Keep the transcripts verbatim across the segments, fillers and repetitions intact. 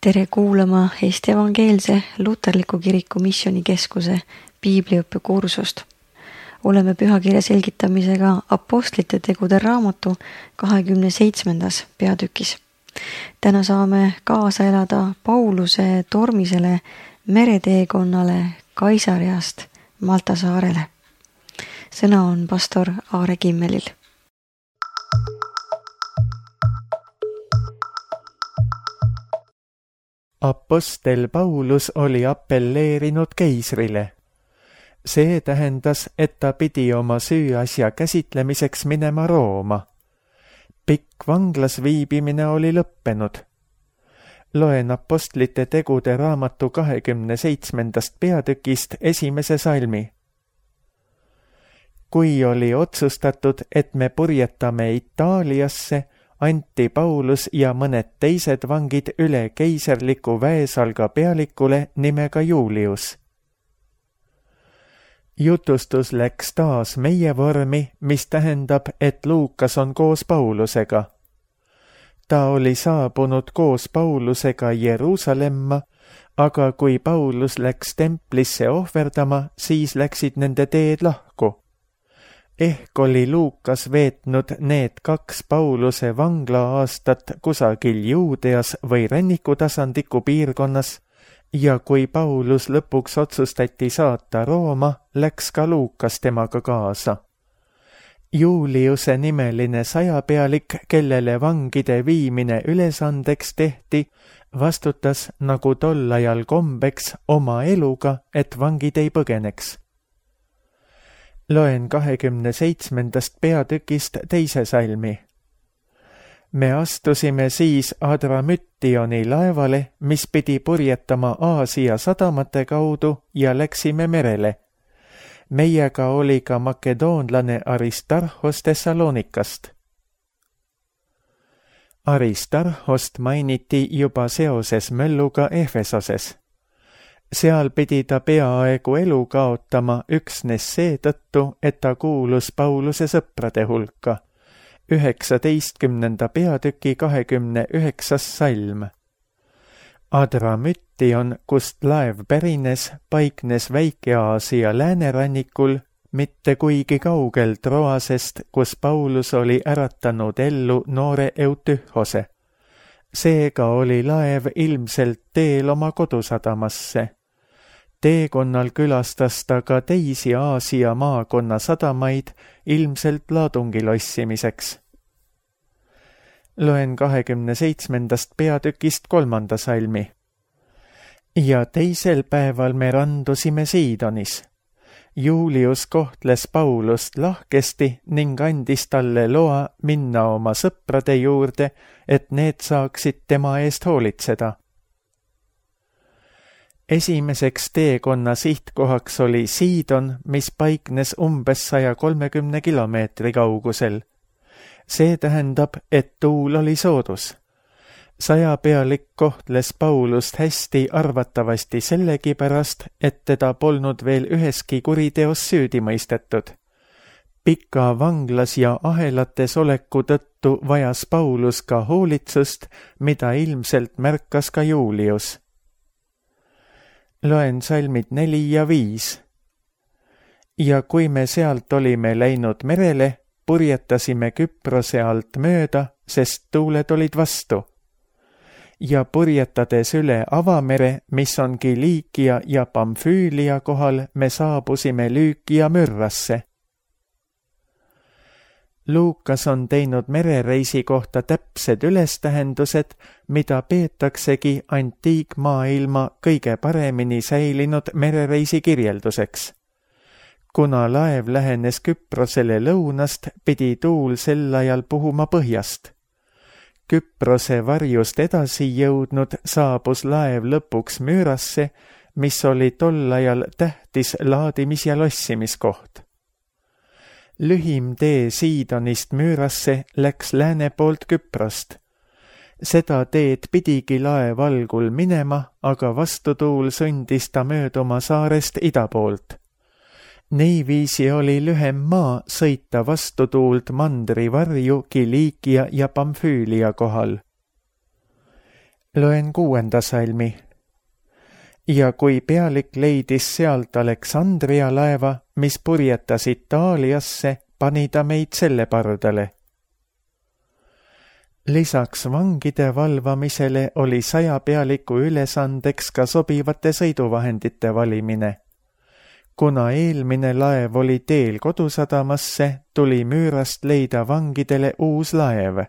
Tere kuulama Eesti Evangeelse Luterliku Kiriku Missioonikeskuse piibliõppekursust. Oleme pühakirja selgitamisega Apostlite tegude raamatu kahekümne seitsmendas peatükis. Täna saame kaasa elada Pauluse tormisele mereteekonnale Kaisariast Malta saarele. Sõna on pastor Aare Kimmelil. Apostel Paulus oli appelleerinud keisrile. See tähendas, et ta pidi oma süüasja käsitlemiseks minema Rooma. Pikk vanglas viibimine oli lõppenud. Loen Apostlite tegude raamatu kahekümne seitsmendast peatükist esimese salmi. Kui oli otsustatud, et me purjetame Itaaliasse, anti Paulus ja mõned teised vangid üle keiserliku väesalga pealikule nimega Julius. Jutustus läks taas meie vormi, mis tähendab, et Luukas on koos Paulusega. Ta oli saabunud koos Paulusega Jeruusalemma, aga kui Paulus läks templisse ohverdama, siis läksid nende teed lahku. Ehk oli Luukas veetnud need kaks Pauluse vangla-aastat kusagil Juudeas või rännikutasandiku piirkonnas ja kui Paulus lõpuks otsustati saata Rooma, läks ka Luukas temaga kaasa. Juliuse nimeline sajapealik, kellele vangide viimine ülesandeks tehti, vastutas nagu tol ajal kombeks oma eluga, et vangid ei põgeneks. Loen kahekümne seitsmendast peatükist teise salmi. Me astusime siis Adramüttioni laevale, mis pidi purjetama Aasia sadamate kaudu ja läksime merele. Meiega oli ka makedoonlane Aristarhos Thessalonikast. Aristarhost mainiti juba seoses mölluga Efesoses. Seal pidi ta peaaegu elu kaotama üksnes seetõttu, et ta kuulus Pauluse sõprade hulka. üheksateistkümnenda peatüki kahekümne üheksas salm. Adramüttion, kust laev pärines, paiknes Väike-Aasia läänerannikul, mitte kuigi kaugel Troasest, kus Paulus oli äratanud ellu noore Eutühose. Seega oli laev ilmselt teel oma kodusadamasse. Teekonnal külastas ta ka teisi Aasia maakonna sadamaid ilmselt laadungil ossimiseks. Loen kahekümne seitsmendast peatükist kolmanda salmi. Ja teisel päeval me randusime Siidonis. Julius kohtles Paulust lahkesti ning andis talle loa minna oma sõprade juurde, et need saaksid tema eest hoolitseda. Esimeseks teekonna sihtkohaks oli Siidon, mis paiknes umbes saja kolmekümne kilomeetri kaugusel. See tähendab, et tuul oli soodus. Sajapealik kohtles Paulust hästi arvatavasti sellegipärast, et teda polnud veel üheski kuriteos süüdi mõistetud. Pika vanglas ja ahelates oleku tõttu vajas Paulus ka hoolitsust, mida ilmselt märkas ka Julius. Loen salmid neli ja viis. Ja kui me sealt olime läinud merele, purjetasime Küprose alt mööda, sest tuuled olid vastu. Ja purjetades üle avamere, mis on Kiliikia ja Pamfüülia kohal, me saabusime Lüükia Myrrasse. Luukas on teinud merereisi kohta täpsed ülestähendused, mida peetaksegi antiikmaailma kõige paremini säilinud merereisi kirjelduseks. Kuna laev lähenes Küprosele lõunast, pidi tuul sel ajal puhuma põhjast. Küprose varjust edasi jõudnud saabus laev lõpuks Myrrasse, mis oli tol ajal tähtis laadimis- ja lossimiskoht. Lühim tee Siidonist Myrrasse läks lääne poolt Küprost. Seda teed pidigi laev algul minema, aga vastutuul sundis ta mööduma saarest ida poolt. Niiviisi oli lühem maa sõita vastutuult mandri varju Kiliikia ja Pamfüülia kohal. Loen kuuenda salmi. Ja kui pealik leidis sealt Aleksandria laeva, mis purjetas Itaaliasse, pani ta meid selle pardale. Lisaks vangide valvamisele oli sajapealiku ülesandeks ka sobivate sõiduvahendite valimine. Kuna eelmine laev oli teel kodusadamasse, tuli Müürast leida vangidele uus laev.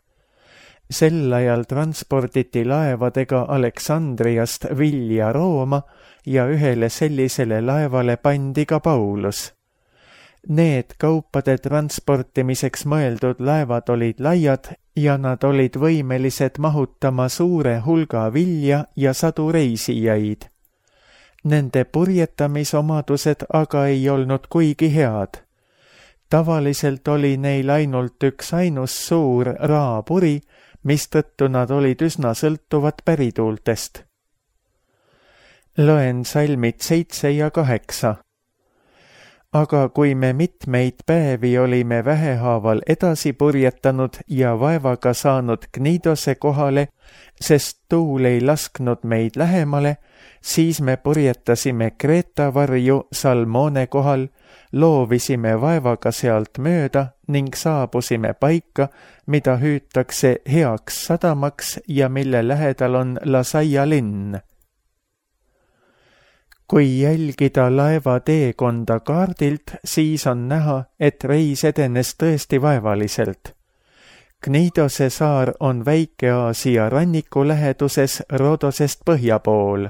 Sel ajal transporditi laevadega Aleksandriast vilja Rooma ja ühele sellisele laevale pandi ka Paulus. Need kaupade transportimiseks mõeldud laevad olid laiad ja nad olid võimelised mahutama suure hulga vilja ja sadu reisijaid. Nende purjetamisomadused aga ei olnud kuigi head. Tavaliselt oli neil ainult üks ainus suur raapuri, mistõttu nad olid üsna sõltuvad pärituultest. Loen salmid seitse ja kaheksa. Aga kui me mitmeid päevi olime vähehaaval edasi purjetanud ja vaevaga saanud Knidose kohale, sest tuul ei lasknud meid lähemale, siis me purjetasime Kreeta varju Salmone kohal, loovisime vaevaga sealt mööda ning saabusime paika, mida hüütakse heaks sadamaks ja mille lähedal on Lasaia linn. Kui jälgida laeva teekonda kaardilt, siis on näha, et reis edenes tõesti vaevaliselt. Knidose saar on Väike-Aasia ranniku läheduses Rodosest põhja pool.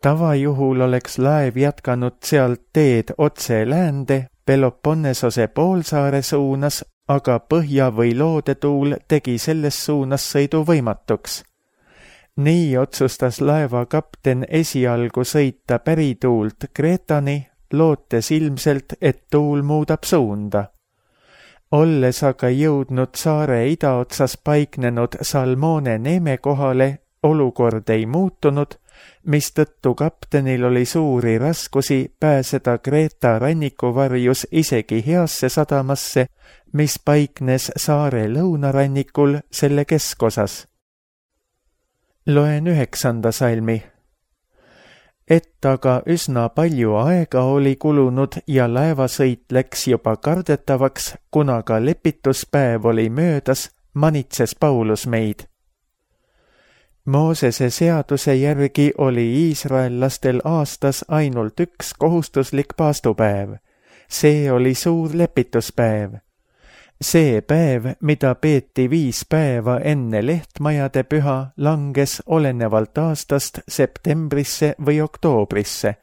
Tavajuhul oleks laev jätkanud sealt teed otse läände Peloponnesose poolsaare suunas, aga põhja või loodetuul tegi selles suunas sõidu võimatuks. Nii otsustas laeva kapten esialgu sõita pärituult Kreetani, lootes ilmselt, et tuul muudab suunda. Olles aga jõudnud saare idaotsas paiknenud Salmone neeme kohale, olukord ei muutunud, mistõttu kaptenil oli suuri raskusi pääseda Kreeta rannikuvarjus isegi heasse sadamasse, mis paiknes saare lõunarannikul selle keskosas. Loen üheksanda salmi. Et aga üsna palju aega oli kulunud ja laevasõit läks juba kardetavaks, kuna ka lepituspäev oli möödas, manitses Paulus meid. Moosese seaduse järgi oli iisraellastel aastas ainult üks kohustuslik paastupäev. See oli suur lepituspäev. See päev, mida peeti viis päeva enne lehtmajade püha, langes olenevalt aastast septembrisse või oktoobrisse.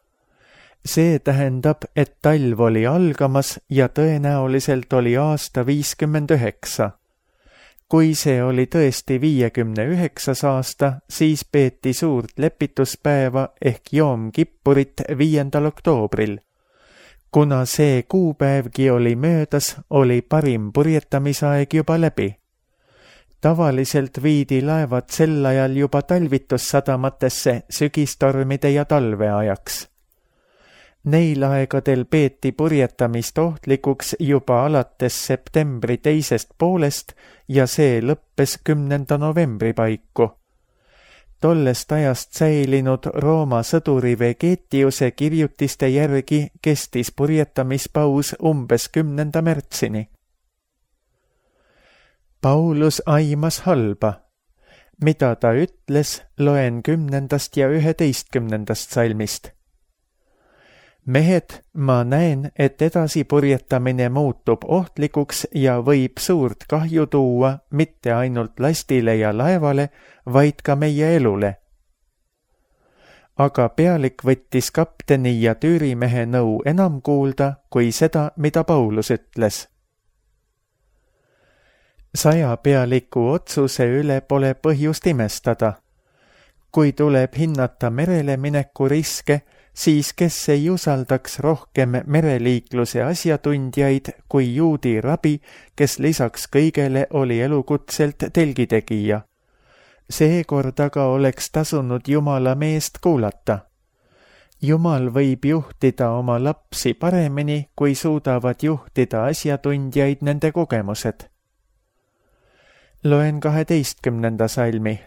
See tähendab, et talv oli algamas ja tõenäoliselt oli aasta viiskümmend üheksa. Kui see oli tõesti viiekümne üheksas aasta, siis peeti suurt lepituspäeva ehk Joom Kippurit viiendal oktoobril. Kuna see kuupäevgi oli möödas, oli parim purjetamisaeg juba läbi. Tavaliselt viidi laevad sel ajal juba talvitussadamatesse sügistormide ja talveajaks. Neil aegadel peeti purjetamist ohtlikuks juba alates septembri teisest poolest ja see lõppes kümnenda novembri paiku. Tollest ajast säilinud Rooma sõduri Vegetiuse kirjutiste järgi kestis purjetamispaus umbes kümnenda märtsini. Paulus aimas halba. Mida ta ütles, loen kümnendast ja üheteistkümnendast salmist. Mehed, ma näen, et edasi purjetamine muutub ohtlikuks ja võib suurt kahju tuua mitte ainult lastile ja laevale, vaid ka meie elule. Aga pealik võttis kapteni ja tüürimehe nõu enam kuulda kui seda, mida Paulus ütles. Saja pealiku otsuse üle pole põhjust imestada. Kui tuleb hinnata merele mineku riske, siis kes ei usaldaks rohkem mereliikluse asjatundjaid kui juudi rabi, kes lisaks kõigele oli elukutselt telgitegija. Seekord aga oleks tasunud Jumala meest kuulata. Jumal võib juhtida oma lapsi paremini, kui suudavad juhtida asjatundjaid nende kogemused. Loen kaheteistkümnenda salmi.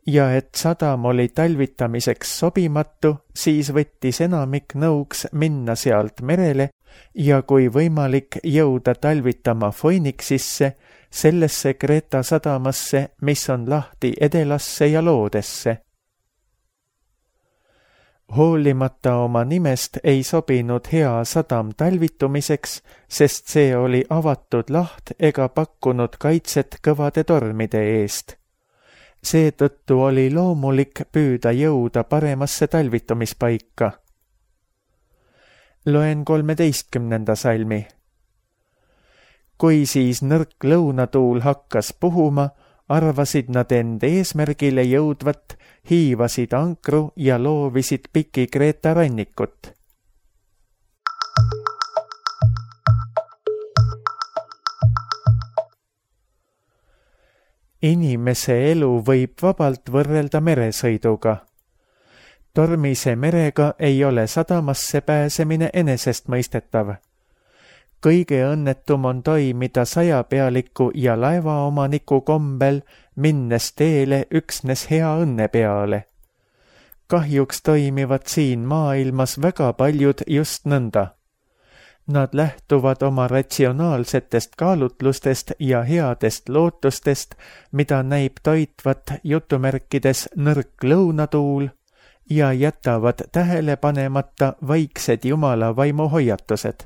ja et sadam oli talvitamiseks sobimatu, siis võttis enamik nõuks minna sealt merele ja kui võimalik jõuda talvitama Phoenixisse, sellesse Kreeta sadamasse, mis on lahti Edelasse ja Loodesse. Hoolimata oma nimest ei sobinud hea sadam talvitumiseks, sest see oli avatud laht ega pakkunud kaitset kõvade tormide eest. Seetõttu oli loomulik püüda jõuda paremasse talvitumispaika. Loen kolmeteistkümnenda salmi. Kui siis nõrk lõunatuul hakkas puhuma, arvasid nad end eesmärgile jõudvat, hiivasid ankru ja loovisid piki Kreeta rannikut. Inimese elu võib vabalt võrrelda meresõiduga. Tormise merega ei ole sadamasse pääsemine enesestmõistetav. Kõige õnnetum on toimida sajapealiku ja laevaomaniku kombel, minnes teele üksnes hea õnne peale. Kahjuks toimivad siin maailmas väga paljud just nõnda. Nad lähtuvad oma ratsionaalsetest kaalutlustest ja headest lootustest, mida näib toitvat jutumärkides nõrk lõunatuul, ja jätavad tähele panemata vaiksed Jumala vaimu hoiatused.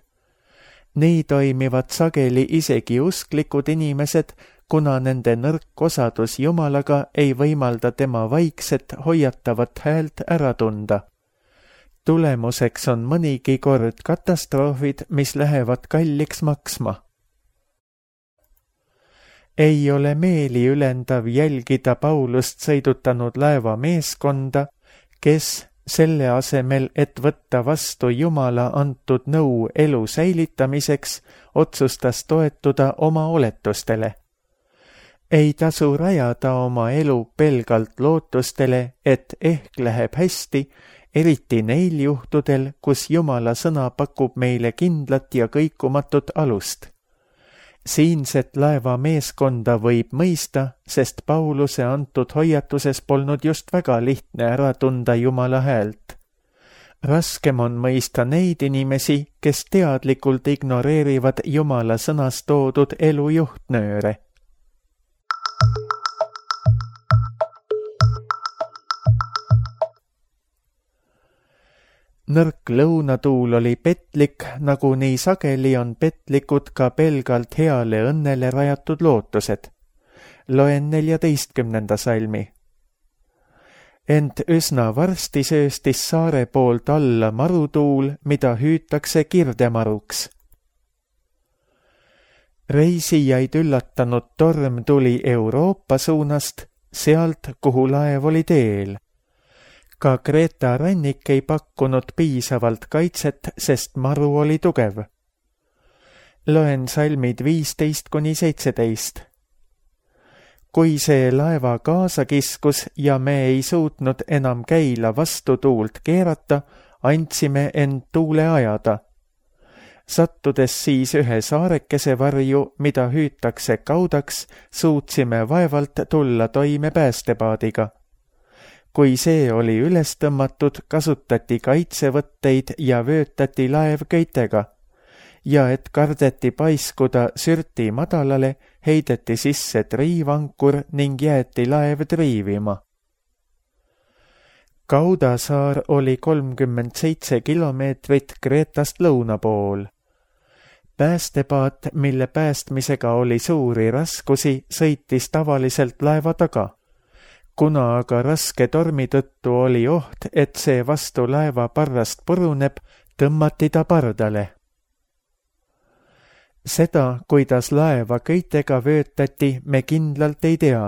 Nii toimivad sageli isegi usklikud inimesed, kuna nende nõrk osadus Jumalaga ei võimalda tema vaikset hoiatavat häält ära tunda. Tulemuseks on mõnigi kord katastroofid, mis lähevad kalliks maksma. Ei ole meeliülendav jälgida Paulust sõidutanud laeva meeskonda, kes selle asemel, et võtta vastu Jumala antud nõu elu säilitamiseks, otsustas toetuda oma oletustele. Ei tasu rajada oma elu pelgalt lootustele, et ehk läheb hästi, eriti neil juhtudel, kus Jumala sõna pakub meile kindlat ja kõikumatut alust. Siinset laeva meeskonda võib mõista, sest Pauluse antud hoiatuses polnud just väga lihtne ära tunda Jumala häält. Raskem on mõista neid inimesi, kes teadlikult ignoreerivad Jumala sõnas toodud elu juhtnööre. Nõrk lõunatuul oli petlik, nagu nii sageli on petlikud ka pelgalt heale õnnele rajatud lootused. Loen neljateistkümnenda salmi. Ent üsna varsti sööstis saare poolt alla marutuul, mida hüütakse kirdemaruks. Reisijaid üllatanud torm tuli Euroopa suunast, sealt, kuhu laev oli teel. Ka Kreeta rannik ei pakkunud piisavalt kaitset, sest maru oli tugev. Loen salmid viisteist kuni seitseteist. Kui see laeva kaasa kiskus ja me ei suutnud enam käila vastu tuult keerata, andsime end tuule ajada. Sattudes siis ühe saarekese varju, mida hüütakse kaudaks, suutsime vaevalt tulla toime päästepaadiga. Kui see oli üles tõmmatud, kasutati kaitsevõtteid ja vöötati laev köitega. Ja et kardeti paiskuda sürti madalale, heideti sisse triivankur ning jäeti laev triivima. Kaudasaar oli kolmkümmend seitse kilomeetrit Kreetast lõuna pool. Päästepaat, mille päästmisega oli suuri raskusi, sõitis tavaliselt laeva taga. Kuna aga raske tormi tõttu oli oht, et see vastu laeva parrast puruneb, tõmmati ta pardale. Seda, kuidas laeva köitega vöötati, me kindlalt ei tea.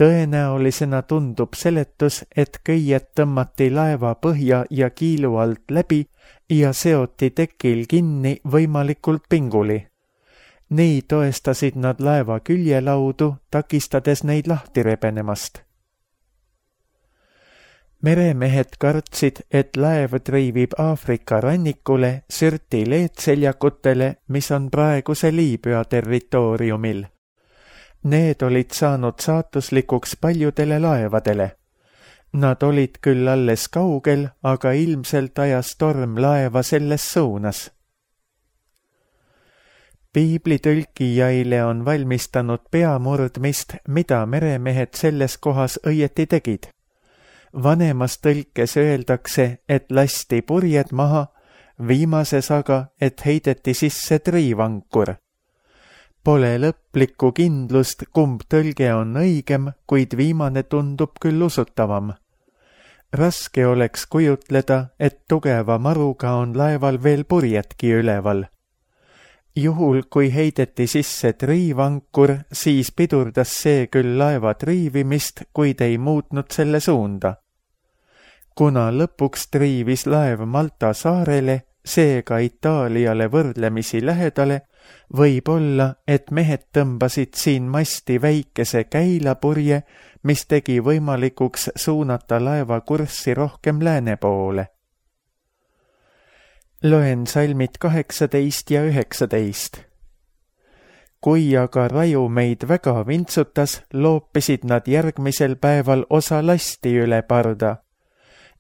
Tõenäolisena tundub seletus, et köied tõmmati laeva põhja ja kiilu alt läbi ja seoti tekil kinni võimalikult pinguli. Nii toestasid nad laeva küljelaudu, takistades neid lahti rebenemast. Meremehed kartsid, et laev triivib Aafrika rannikule Sürti leedseljakutele, mis on praeguse Liibüa territooriumil. Need olid saanud saatuslikuks paljudele laevadele. Nad olid küll alles kaugel, aga ilmselt ajas torm laeva selles suunas. Piiblitõlkijaile on valmistanud peamurdmist, mida meremehed selles kohas õieti tegid. Vanemas tõlkes öeldakse, et lasti purjed maha, viimases aga, et heideti sisse triivankur. Pole lõplikku kindlust, kumb tõlge on õigem, kuid viimane tundub küll usutavam. Raske oleks kujutleda, et tugeva maruga on laeval veel purjedki üleval. Juhul, kui heideti sisse triivankur, siis pidurdas see küll laeva triivimist, kuid ei muutnud selle suunda. Kuna lõpuks triivis laev Malta saarele, seega Itaaliale võrdlemisi lähedale, võib olla, et mehed tõmbasid siin masti väikese käilapurje, mis tegi võimalikuks suunata laeva kurssi rohkem lääne poole. Loen salmid kaheksateist ja üheksateist. Kui aga raju meid väga vintsutas, loopisid nad järgmisel päeval osa lasti üle parda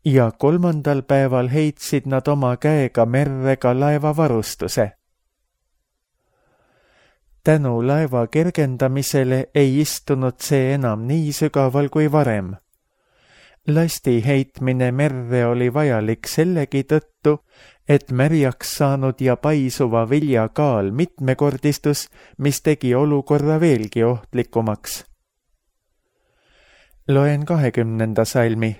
ja kolmandal päeval heitsid nad oma käega merre ka laeva varustuse. Tänu laeva kergendamisele ei istunud see enam nii sügaval kui varem. Lasti heitmine merre oli vajalik sellegi tõttu, et märjaks saanud ja paisuva vilja kaal mitmekordistus, mis tegi olukorra veelgi ohtlikumaks. Loen kahekümnenda salmi.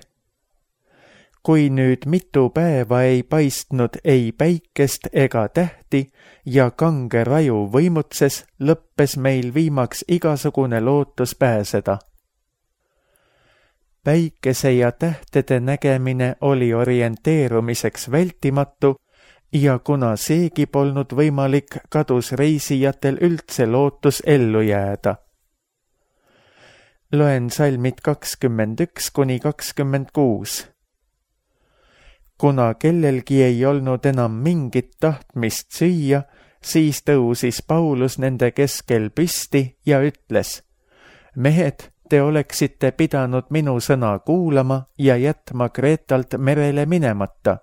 Kui nüüd mitu päeva ei paistnud ei päikest ega tähti ja kange raju võimutses, lõppes meil viimaks igasugune lootus pääseda. Päikese ja tähtede nägemine oli orienteerumiseks vältimatu ja kuna seegi polnud võimalik, kadus reisijatel üldse lootus ellu jääda. Loen salmid kakskümmend üks kuni kakskümmend kuus. Kuna kellelgi ei olnud enam mingit tahtmist süüa, siis tõusis Paulus nende keskel püsti ja ütles: mehed, te oleksite pidanud minu sõna kuulama ja jätma Kreetalt merele minemata,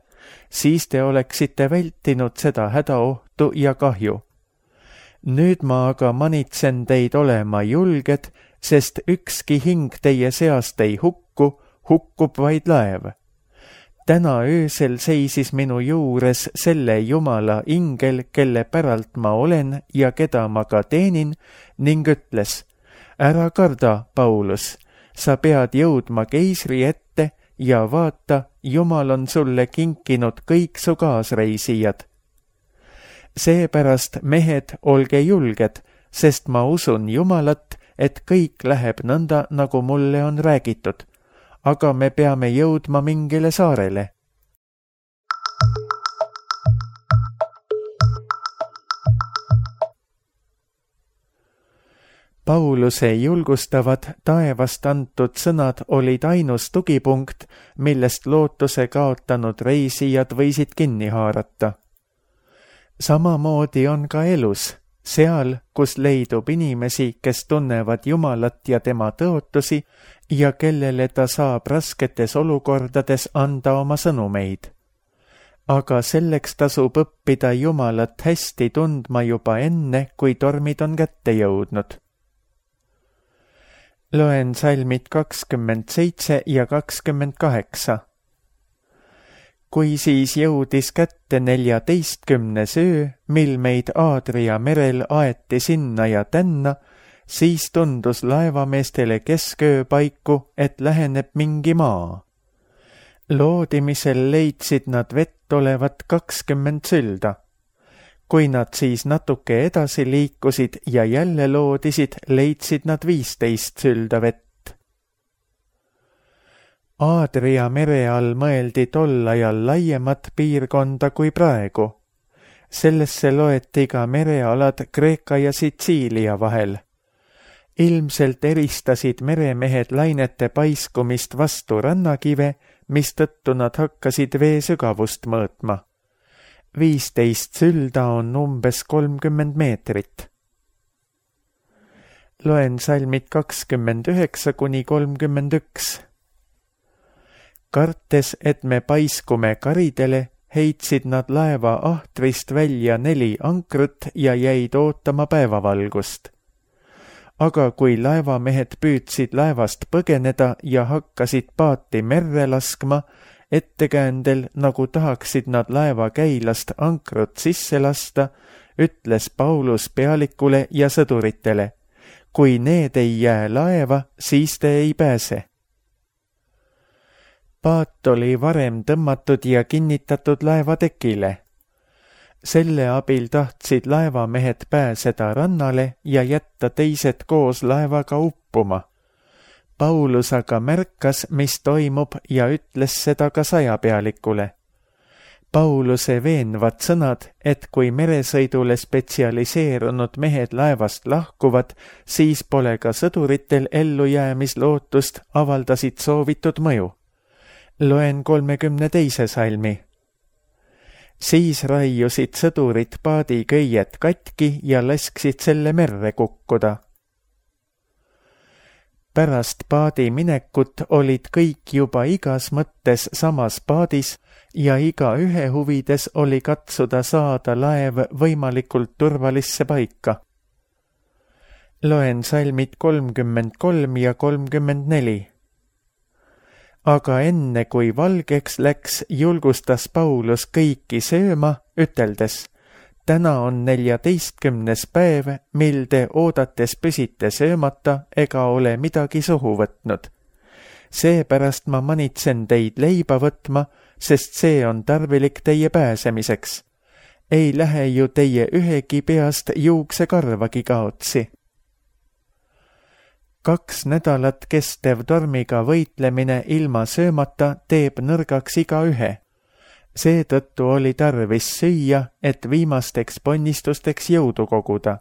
siis te oleksite vältinud seda hädaohtu ja kahju. Nüüd ma aga manitsen teid olema julged, sest ükski hing teie seast ei hukku, hukkub vaid laev. Täna öösel seisis minu juures selle Jumala ingel, kelle päralt ma olen ja keda ma ka teenin, ning ütles: ära karda, Paulus, sa pead jõudma keisri ette ja vaata, Jumal on sulle kinkinud kõik su kaasreisijad. Seepärast, mehed, olge julged, sest ma usun Jumalat, et kõik läheb nõnda, nagu mulle on räägitud, aga me peame jõudma mingile saarele. Pauluse julgustavad taevast antud sõnad olid ainus tugipunkt, millest lootuse kaotanud reisijad võisid kinni haarata. Samamoodi on ka elus, seal, kus leidub inimesi, kes tunnevad Jumalat ja tema tõotusi ja kellele ta saab rasketes olukordades anda oma sõnumeid. Aga selleks tasub õppida Jumalat hästi tundma juba enne, kui tormid on kätte jõudnud. Loen salmid kakskümmend seitse ja kakskümmend kaheksa. Kui siis jõudis kätte neljateistkümnes öö, mil meid Aadria merel aeti sinna ja tänna, siis tundus laevameestele kesköö paiku, et läheneb mingi maa. Loodimisel leidsid nad vett olevat kakskümmend sülda. Kui nad siis natuke edasi liikusid ja jälle loodisid, leidsid nad viisteist sülda vett. Aadria mere all mõeldi tol ajal laiemat piirkonda kui praegu. Sellesse loeti ka merealad Kreeka ja Sitsiilia vahel. Ilmselt eristasid meremehed lainete paiskumist vastu rannakive, mistõttu nad hakkasid vee sügavust mõõtma. Viisteist sülda on umbes kolmkümmend meetrit. Loen salmid kakskümmend üheksa kuni kolmkümmend üks. Kartes, et me paiskume karidele, heitsid nad laeva ahtrist välja neli ankrut ja jäid ootama päevavalgust. Aga kui laevamehed püüdsid laevast põgeneda ja hakkasid paati merre laskma, ettekäändel, nagu tahaksid nad laeva käilast ankrut sisse lasta, ütles Paulus pealikule ja sõduritele: kui need ei jää laeva, siis te ei pääse. Paat oli varem tõmmatud ja kinnitatud laevatekile. Selle abil tahtsid laevamehed pääseda rannale ja jätta teised koos laevaga uppuma. Paulus aga märkas, mis toimub, ja ütles seda ka sajapealikule. Pauluse veenvad sõnad, et kui meresõidule spetsialiseerunud mehed laevast lahkuvad, siis pole ka sõduritel ellujäämislootust, avaldasid soovitud mõju. Loen kolmekümne teise salmi. Siis raiusid sõdurid paadi köied katki ja lasksid selle merre kukkuda. Pärast paadi minekut olid kõik juba igas mõttes samas paadis ja iga ühe huvides oli katsuda saada laev võimalikult turvalisse paika. Loen salmid kolmkümmend kolm ja kolmkümmend neli. Aga enne kui valgeks läks, julgustas Paulus kõiki sööma, üteldes: täna on neljateistkümnes päev, mil te oodates püsite söömata ega ole midagi suhu võtnud. Seepärast ma manitsen teid leiba võtma, sest see on tarvilik teie pääsemiseks. Ei lähe ju teie ühegi peast juuksekarvagi kaotsi. Kaks nädalat kestev tormiga võitlemine ilma söömata teeb nõrgaks iga ühe. Seetõttu oli tarvis süüa, et viimasteks ponnistusteks jõudu koguda.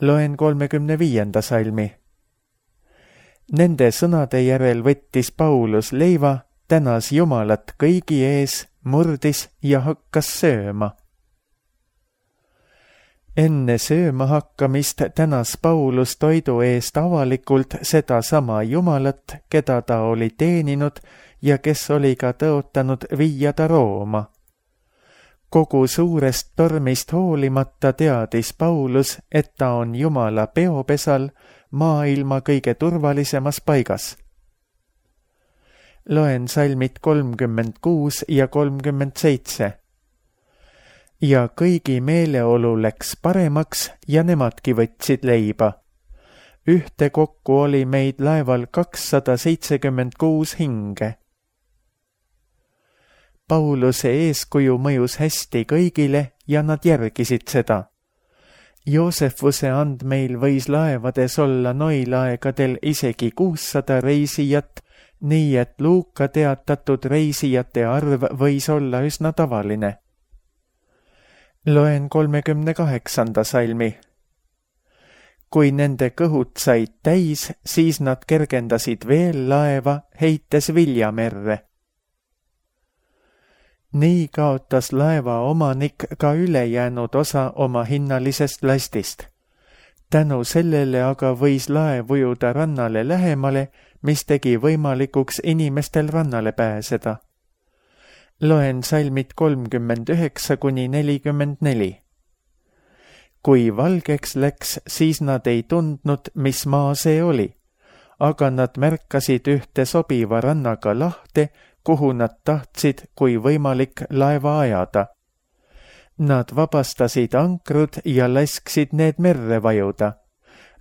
Loen kolmekümne viienda salmi. Nende sõnade järel võttis Paulus leiva, tänas Jumalat kõigi ees, murdis ja hakkas sööma. Enne sööma hakkamist tänas Paulus toidu eest avalikult seda sama Jumalat, keda ta oli teeninud ja kes oli ka tõotanud viia ta Rooma. Kogu suurest tormist hoolimata teadis Paulus, et ta on Jumala peopesal, maailma kõige turvalisemas paigas. Loen salmid kolmkümmend kuus ja kolmkümmend seitse. Ja kõigi meeleolu läks paremaks ja nemadki võtsid leiba. Ühtekokku oli meid laeval kakssada seitsekümmend kuus hinge. Pauluse eeskuju mõjus hästi kõigile ja nad järgisid seda. Joosefuse andmeil võis laevades olla noil aegadel isegi kuussada reisijat, nii et Luuka teatatud reisijate arv võis olla üsna tavaline. Loen kolmekümne kaheksanda salmi. Kui nende kõhud said täis, siis nad kergendasid veel laeva, heites viljamerre. Nii kaotas laeva omanik ka ülejäänud osa oma hinnalisest lastist. Tänu sellele aga võis laev ujuda rannale lähemale, mis tegi võimalikuks inimestel rannale pääseda. Loen salmid kolmkümmend üheksa kuni nelikümmend neli. Kui valgeks läks, siis nad ei tundnud, mis maa see oli, aga nad märkasid ühte sobiva rannaga lahte, kuhu nad tahtsid, kui võimalik, laeva ajada. Nad vabastasid ankrud ja lasksid need merre vajuda.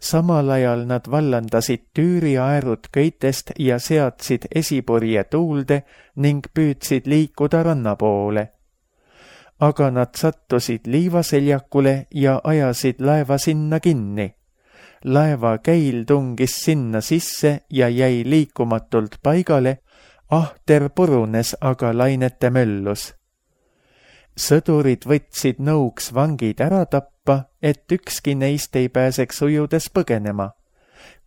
Samal ajal nad vallandasid Tüüri aerud köitest ja seadsid esipurje tuulde ning püüdsid liikuda ranna poole. Aga nad sattusid liivaseljakule ja ajasid laeva sinna kinni. Laeva käil tungis sinna sisse ja jäi liikumatult paigale, ahter purunes aga lainete möllus. Sõdurid võtsid nõuks vangid ära tappa, et ükski neist ei pääseks ujudes põgenema.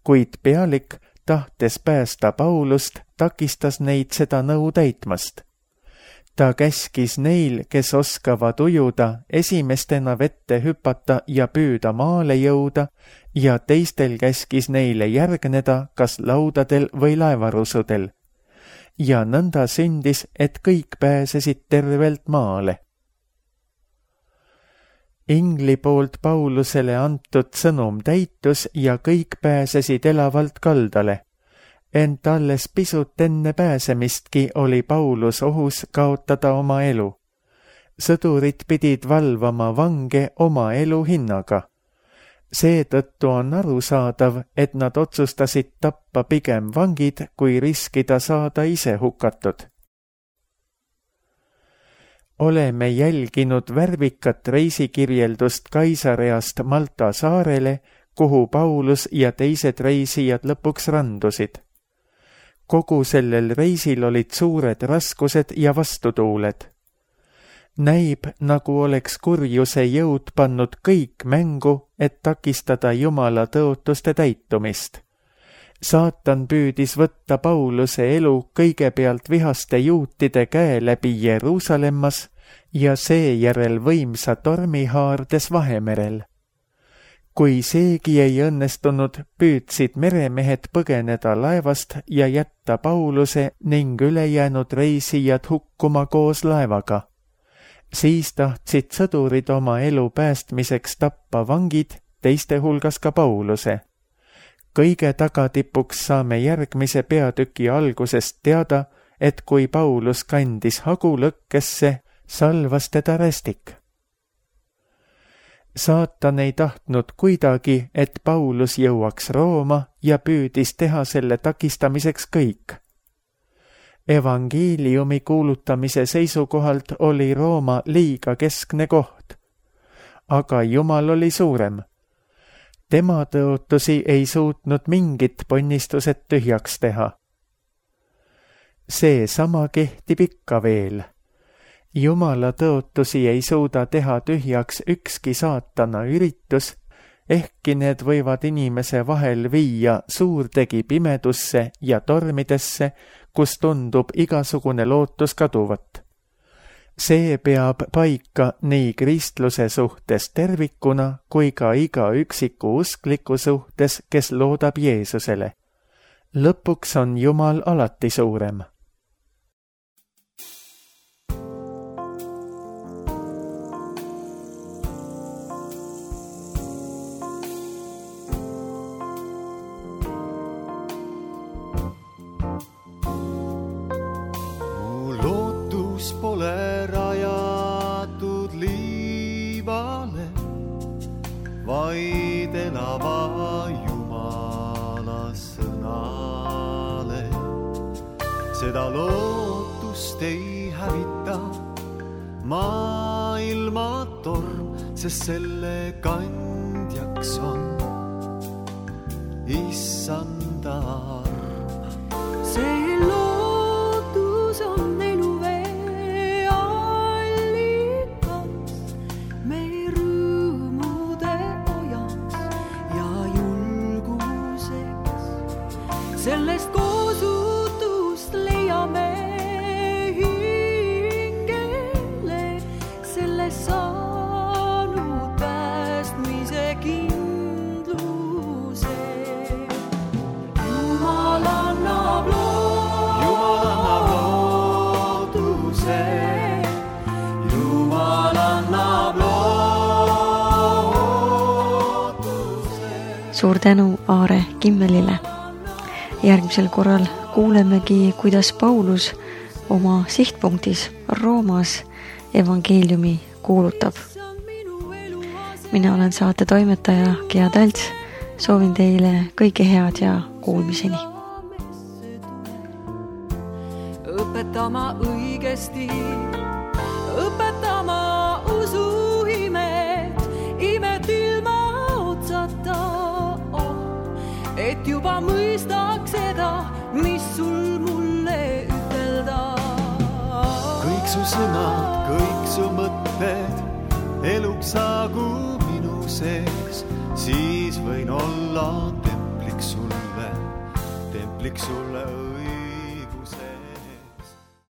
Kuid pealik, tahtes päästa Paulust, takistas neid seda nõu täitmast. Ta käskis neil, kes oskavad ujuda, esimestena vette hüpata ja püüda maale jõuda, ja teistel käskis neile järgneda kas laudadel või laevarusudel. Ja nõnda sündis, et kõik pääsesid tervelt maale. Ingli poolt Paulusele antud sõnum täitus ja kõik pääsesid elavalt kaldale. Ent alles pisut enne pääsemistki oli Paulus ohus kaotada oma elu. Sõdurid pidid valvama vange oma elu hinnaga. Seetõttu on arusaadav, et nad otsustasid tappa pigem vangid, kui riskida saada ise hukatud. Oleme jälginud värvikat reisikirjeldust Kaisareast Malta saarele, kuhu Paulus ja teised reisijad lõpuks randusid. Kogu sellel reisil olid suured raskused ja vastutuuled. Näib, nagu oleks kurjuse jõud pannud kõik mängu, et takistada Jumala tõotuste täitumist. Saatan püüdis võtta Pauluse elu kõigepealt vihaste juutide käe läbi Jeruusalemmas ja seejärel võimsa tormi haardes Vahemerel. Kui seegi ei õnnestunud, püüdsid meremehed põgeneda laevast ja jätta Pauluse ning ülejäänud reisijad hukkuma koos laevaga. Siis tahtsid sõdurid oma elu päästmiseks tappa vangid, teiste hulgas ka Pauluse. Kõige tagatipuks saame järgmise peatüki algusest teada, et kui Paulus kandis hagu lõkkesse, salvas teda rästik. Saatan ei tahtnud kuidagi, et Paulus jõuaks Rooma ja püüdis teha selle takistamiseks kõik. Evangeeliumi kuulutamise seisukohalt oli Rooma liiga keskne koht. Aga Jumal oli suurem. Tema tõotusi ei suutnud mingit ponnistused tühjaks teha. See sama kehtib ikka veel. Jumala tõotusi ei suuda teha tühjaks ükski saatana üritus, ehkki need võivad inimese vahel viia suurtegi pimedusse ja tormidesse, kus tundub igasugune lootus kaduvat. See peab paika nii kristluse suhtes tervikuna kui ka iga üksiku uskliku suhtes, kes loodab Jeesusele. Lõpuks on Jumal alati suurem. Pole rajatud liivale, vaid elava Jumala sõnale. Seda lootust ei hävita maailma torm, sest selle kandjaks on Issanda arm. See lootus on sellest koosutust leiame hingele, sellest saanud päästmise kindluse. Jumal annab lootuse, Jumal annab lootuse. Suur tänu Aare Kimmelile. Järgmisel korral kuulemegi, kuidas Paulus oma sihtpunktis Roomas evangeeliumi kuulutab. Mina olen saate toimetaja Gea Talts, soovin teile kõike head ja kuulmiseni. Õpetama õigesti, õpetama usuimet, imet ilma otsata, et juba mõistaks seda, mis sul mulle ütelda. Kõik su sõnad, kõik su mõtted eluks saagu minu sees, siis võin olla templiks sulle, templiks sulle õige.